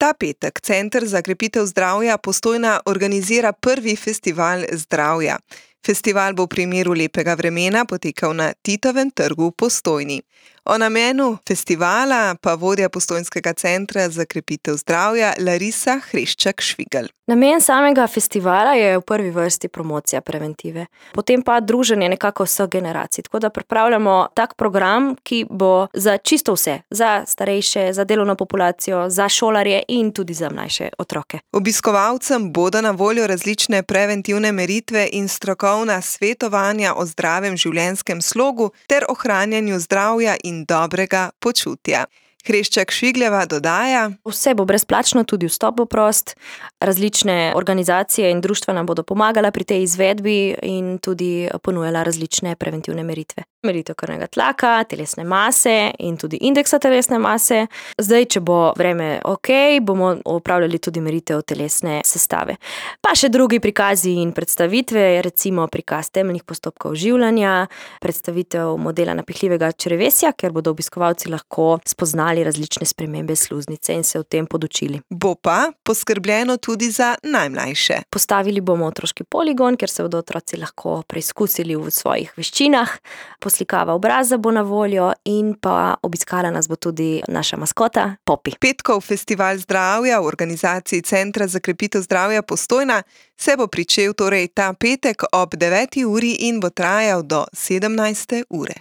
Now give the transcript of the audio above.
Ta petek Center za krepitev zdravja Postojna organizira prvi festival zdravja. Festival bo v primeru lepega vremena potekal na Titovem trgu v Postojni. O namenu festivala pa vodja Postojnskega centra za krepitev zdravja Larisa Hreščak-Švigelj. Namen samega festivala je v prvi vrsti promocija preventive, potem pa druženje nekako vseh generacij. Tako da pripravljamo tak program, ki bo za čisto vse, za starejše, za delovno populacijo, za šolarje in tudi za mlajše otroke. Obiskovalcem bodo na voljo različne preventivne meritve in strokovna svetovanja o zdravem življenjskem slogu ter ohranjanju zdravja in dobrega počutja. Hreščak-Švigljeva dodaja: Vse bo brezplačno, tudi vstop bo prost. Različne organizacije in društva nam bodo pomagala pri tej izvedbi in tudi ponujala različne preventivne meritve. Meritev krvnega tlaka, telesne mase in tudi indeksa telesne mase. Zdaj, če bo vreme okej, bomo opravljali tudi meritev telesne sestave. Pa še drugi prikazi in predstavitve, recimo prikaz temeljnih postopkov življenja, predstavitev modela napihljivega črevesja, ker bodo obiskovalci lahko spoznali različne spremembe sluznice in se o tem podučili. Bo pa poskrbljeno tudi za najmlajše. Postavili bomo otroški poligon, kjer se bodo otroci lahko preizkusili v svojih veščinah. Poslikava obraza bo na voljo in pa obiskala nas bo tudi naša maskota Popi. Petkov festival zdravja v organizaciji Centra za krepitev zdravja Postojna se bo pričel torej ta petek ob 9. uri in bo trajal do 17. ure.